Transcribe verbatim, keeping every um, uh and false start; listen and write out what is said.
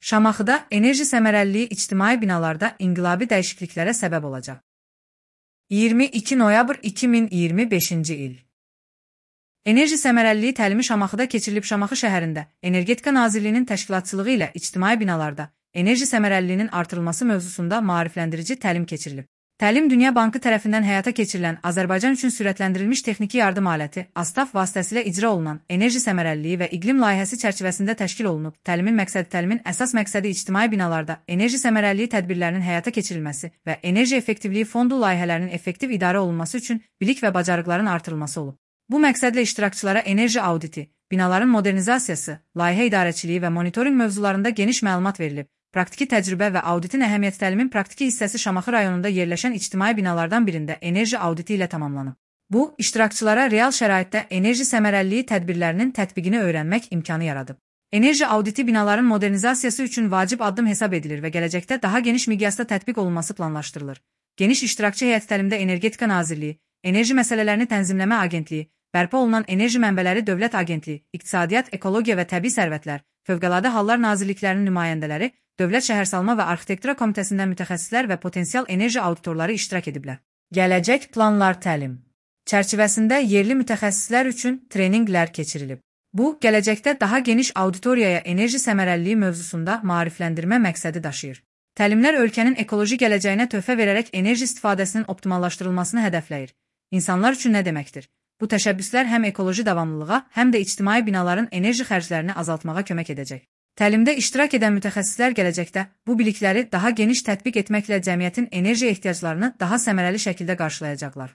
Şamaxıda enerji səmərəliliyi ictimai binalarda inqilabi dəyişikliklərə səbəb olacaq. iyirmi iki noyabr iki min iyirmi beşinci il. Enerji səmərəliliyi təlimi Şamaxıda keçirilib. Şamaxı şəhərində Energetika Nazirliyinin təşkilatçılığı ilə ictimai binalarda enerji səmərəliliyinin artırılması mövzusunda maarifləndirici təlim keçirilib. Təlim Dünya Bankı tərəfindən həyata keçirilən Azərbaycan üçün sürətləndirilmiş texniki yardım aləti ASTAF vasitəsilə icra olunan enerji səmərəliliyi və iqlim layihəsi çərçivəsində təşkil olunub. Təlimin məqsədi təlimin əsas məqsədi ictimai binalarda enerji səmərəliliyi tədbirlərinin həyata keçirilməsi və enerji effektivliyi fondu layihələrinin effektiv idarə olunması üçün bilik və bacarıqların artırılması olub. Bu məqsədlə iştirakçılara enerji auditi, binaların modernizasiyası, layihə idarəçiliyi və monitorinq mövzularında geniş məlumat verilib. Praktiki təcrübə və auditin əhəmiyyəti təlimin praktiki hissəsi Şamaxı rayonunda yerləşən ictimai binalardan birində enerji auditi ilə tamamlanıb. Bu, iştirakçılara real şəraitdə enerji səmərəliliyi tədbirlərinin tətbiqini öyrənmək imkanı yaradıb. Enerji auditi binaların modernizasiyası üçün vacib addım hesab edilir və gələcəkdə daha geniş miqyasda tətbiq olunması planlaşdırılır. Geniş iştirakçı heyət təlimdə Energetika Nazirliyi, Enerji Məsələlərini Tənzimləmə Agentliyi, bərpa olunan Enerji Mənbələri Dövlət Agentliyi, İqtisadiyyat, Ekologiya və Təbii Sərvətlər, Fövqəladə Hallar Nazirliklərinin nümayəndələri, Dövlət Şəhərsalma və Arxitektura Komitəsindən mütəxəssislər və potensial enerji auditorları iştirak ediblər. Gələcək planlar təlim çərçivəsində yerli mütəxəssislər üçün treninqlər keçirilib. Bu, gələcəkdə daha geniş auditoriyaya enerji səmərəliliyi mövzusunda maarifləndirmə məqsədi daşıyır. Təlimlər ölkənin ekoloji gələcəyinə töhfə verərək enerji istifadəsinin optimallaşdırılmasını hədəfləyir. İnsanlar üçün nə deməkdir? Bu təşəbbüslər həm ekoloji davamlılığa, həm də ictimai binaların enerji xərclərini azaltmağa kömək edəcək. Təlimdə iştirak edən mütəxəssislər gələcəkdə bu bilikləri daha geniş tətbiq etməklə cəmiyyətin enerji ehtiyaclarını daha səmərəli şəkildə qarşılayacaqlar.